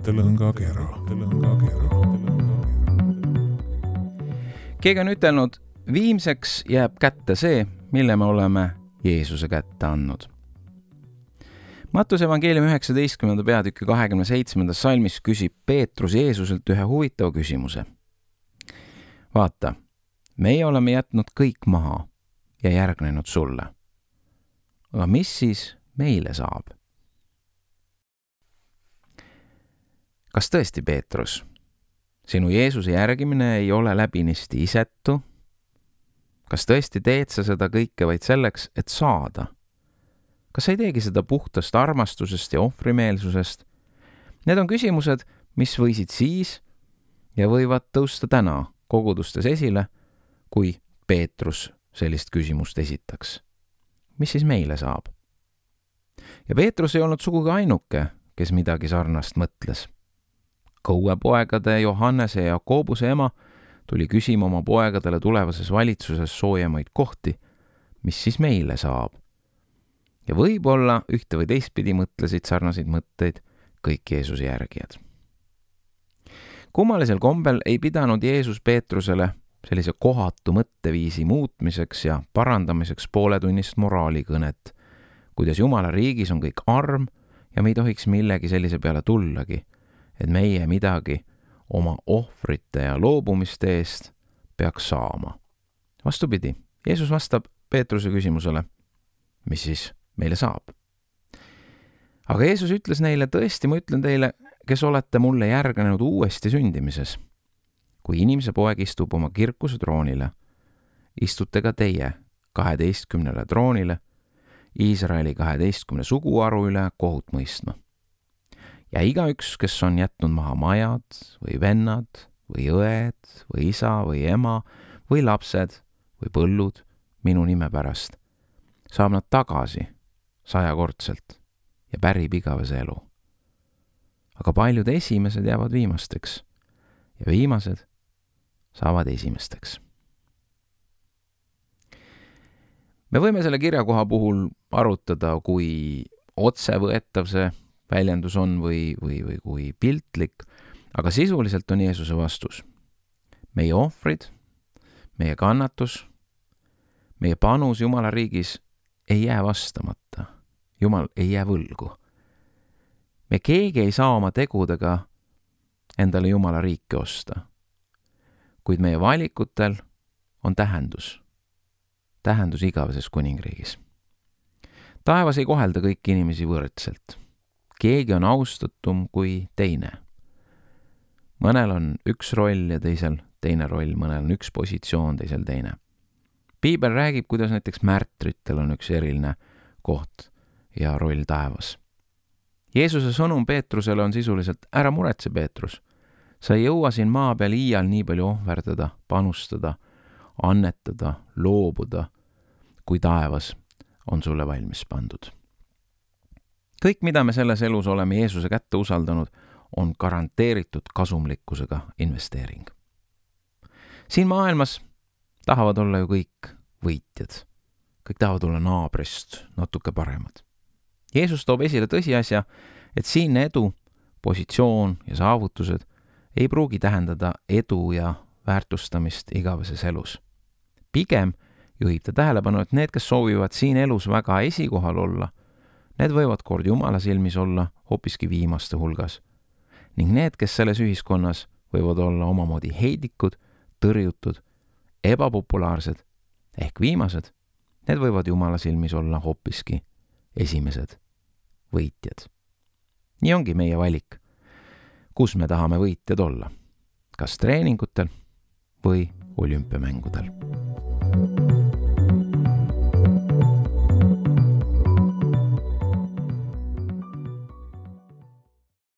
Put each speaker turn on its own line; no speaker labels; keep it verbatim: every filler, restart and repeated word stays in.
mõttelõngakera.
Keegi on ütelnud, viimseks jääb kätte see, mille me oleme Jeesuse kätte andnud. Mattuse evangeeliumi üheksateistkümnenda peatüki kahekümne seitsmendas salmis küsib Peetrus Jeesuselt ühe huvitava küsimuse. Vaata, meie oleme jätnud kõik maha ja järgnenud sulle. Aga mis siis meile saab? Kas tõesti, Peetrus, sinu Jeesuse järgimine ei ole läbinisti isetu? Kas tõesti teed sa seda kõike vaid selleks, et saada? Kas sa ei teegi seda puhtast armastusest ja ohvrimeelsusest? Need on küsimused, mis võisid siis ja võivad tõusta täna kogudustes esile, kui Peetrus sellist küsimust esitaks. Mis siis meile saab? Ja Peetrus ei olnud sugugi ainuke, kes midagi sarnast mõtles. Kõuepoegade Johannese ja Jakobuse ema tuli küsima oma poegadele tulevases valitsuses soojemaid kohti, mis siis meile saab. Ja võib-olla ühte või teistpidi mõtlesid sarnaseid mõtteid kõik Jeesuse järgijad. Kummalisel kombel ei pidanud Jeesus Peetrusele sellise kohatu mõtteviisi muutmiseks ja parandamiseks pooletunnist moraalikõnet, kuidas Jumala riigis on kõik arm ja me ei tohiks millegi sellise peale tullagi, et meie midagi oma ohvrite ja loobumiste eest peaks saama. Vastupidi, Jeesus vastab Peetruse küsimusele, mis siis meile saab. Aga Jeesus ütles neile, tõesti, ma ütlen teile, kes olete mulle järgnenud uuesti sündimises. Kui inimese poeg istub oma kirkuse troonile, istute ka teie kaheteistkümnele troonile, Iisraeli kaheteistkümne suguharu üle kohut mõistma. Ja igaüks, kes on jätnud maha majad või vennad või õed või isa või ema või lapsed või põllud minu nime pärast, saab nad tagasi sajakordselt ja pärib igavese elu. Aga paljud esimesed jäävad viimasteks ja viimased saavad esimesteks. Me võime selle kirjakoha puhul arutada, kui otsevõetav see väljendus on või, või, või kui piltlik, aga sisuliselt on Jeesuse vastus. Meie ohvrid, meie kannatus, meie panus Jumala riigis ei jää vastamata. Jumal ei jää võlgu. Me keegi ei saa oma tegudega endale Jumala riiki osta. Kuid meie valikutel on tähendus. Tähendus igaveses kuningriigis. Taevas ei kohelda kõiki inimesi võrdselt. Keegi on austatum kui teine. Mõnel on üks roll ja teisel teine roll, mõnel on üks positsioon, teisel teine. Piibel räägib, kuidas näiteks märtritel on üks eriline koht ja roll taevas. Jeesuse sõnum Peetrusele on sisuliselt, ära muretse, Peetrus. Sa ei jõua siin maa peal iial nii palju ohverdada, panustada, annetada, loobuda, kui taevas on sulle valmis pandud. Kõik, mida me selles elus oleme Jeesuse kätte usaldanud, on garanteeritud kasumlikkusega investeering. Siin maailmas tahavad olla ju kõik võitjad. Kõik tahavad olla naabrist natuke paremad. Jeesus toob esile tõsiasja, et siin edu, positsioon ja saavutused ei pruugi tähendada edu ja väärtustamist igaveses elus. Pigem juhib ta tähelepanu, et need, kes soovivad siin elus väga esikohal olla, need võivad kord Jumala silmis olla hoopiski viimaste hulgas. Ning need, kes selles ühiskonnas võivad olla omamoodi heidikud, tõrjutud, ebapopulaarsed ehk viimased, need võivad Jumala silmis olla hoopiski esimesed võitjad. Nii ongi meie valik, kus me tahame võitjad olla, kas treeningutel või olümpiamängudel.